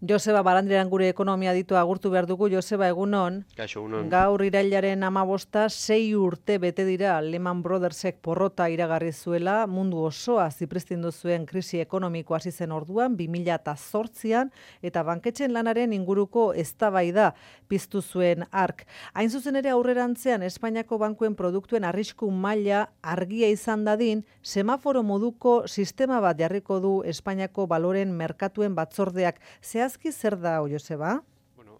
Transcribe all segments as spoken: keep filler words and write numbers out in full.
Joseba Barandiaran gure ekonomia ditu agurtu behar dugu. Joseba, egunon. Kaixo, egunon. Gaur irailaren hamabosta, sei urte bete dira Lehman Brothersek porrota iragarri zuela, mundu osoa zipristindu zuen krisi ekonomiko hasi zen orduan, bi mila zortzian, eta banketxen lanaren inguruko eztabaida piztu zuen hark. Hain zuzen ere aurrerantzean Espainiako bankuen produktuen arrisku maila argia izan dadin, semaforo moduko sistema bat jarriko du Espainiako baloren merkatuen batzordeak. Zehazki zer da, Joseba?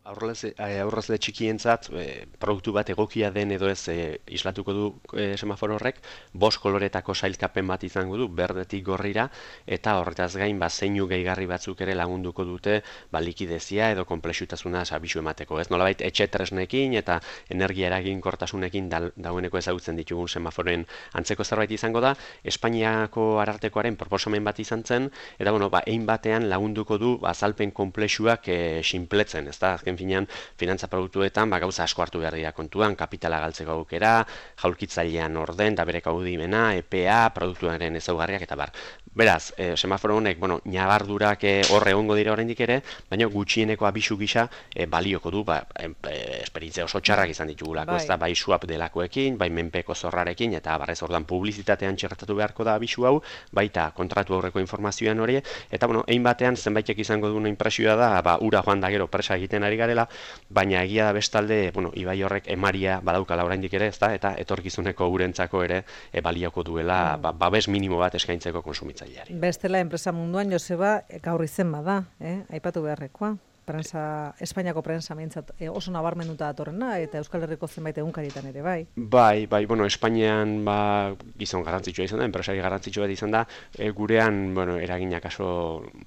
Aurrezle txikientzat e, produktu bat egokia den edo ez e, islatuko du e, semaforo horrek, bost koloretako sailkapen bat izango du, berdetik gorrira, eta horretaz gain ba, zeinu gehigarri batzuk ere lagunduko dute ba, likidezia edo konplexutasuna abisu emateko. Ez nolabait etxe tresnekin eta energia eraginkortasunekin da, dagoeneko ezagutzen ditugun semaforoen antzeko zerbait izango da. Espainiako arartekoaren proposamen bat izan zen, eta bueno, ba, ein batean lagunduko du ba, azalpen konplexuak e, sinpletzen, ez da, finean, finantza produktuetan ba, gauza asko hartu behar dira kontuan, kapitala galtzeko aukera, jaulkitzailean orden, da bere kaudimena, E P A, produktuaren ezaugarriak eta bar. Beraz, e, semaforo honek, bueno, ñabardurak horre egongo dira oraindik ere, baina gutxieneko abisu gisa e, balioko du, ba, e, esperientzia oso txarrak izan ditugulako, bai. Ez da, bai swap delakoekin, bai menpeko zorrarekin, eta barrez ordan publizitatean txertatu beharko da abisu hau, baita kontratu aurreko informazioan hori, eta bueno, ein batean zenbaitek izango duen impresioa da, ba, ura joan da gero presa egiten ari garela, baina egia da bestalde, bueno, ibai horrek emaria badaukala oraindik ere, ezta, eta etorkizuneko urentzako ere e, balioko duela, ba, babes minimo bat eskaintzeko kontsumitzaileari. Bestela enpresa munduan, Joseba, gaur izen bada, eh? Aipatu beharrekoa. Prensa, Espainiako prensa mintzat e, oso nabarmenduta datorrena, eta Euskal Herriko zenbait egunkarietan ere, bai? Bai, bai, bueno, Espainian ba, gizon garrantzitsua izan da, enpresari garrantzitsua izan da, e, gurean, bueno, eraginak aso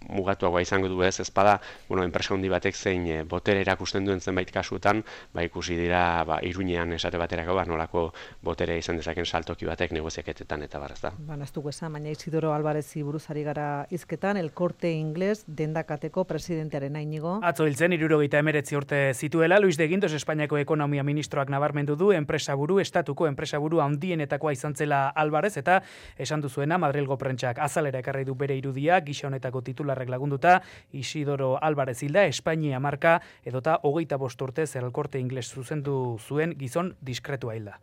mugatuagoa izango du ez, ezpada, bueno, enpresa handi batek zein e, botere erakusten duen zenbait kasuetan, ba, ikusi dira, ba, Iruñean esate baterako, ba, nolako botere izan dezaken saltoki batek negoziaketetan eta barraz da. Ba, naztuko esan, baina Isidoro Alvarezi buruzari gara hizketan, El Corte Inglés dendakateko presidentearen Iñigo. Atzo hiltzen hirurogeita hemeretzi urte zituela, Luis de Guindos Espainiako ekonomia ministroak nabarmendu du enpresaburu, estatuko enpresaburu handienetakoa izan zela Alvarez, eta esan duzuena Madrilgo prentsak azalera ekarri du bere irudia, gisa honetako titularrek lagunduta, Isidoro Alvarez hilda, Espainia marka edota hogeita bost urtez El Corte Inglés zuzendu zuen gizon diskretua hilda.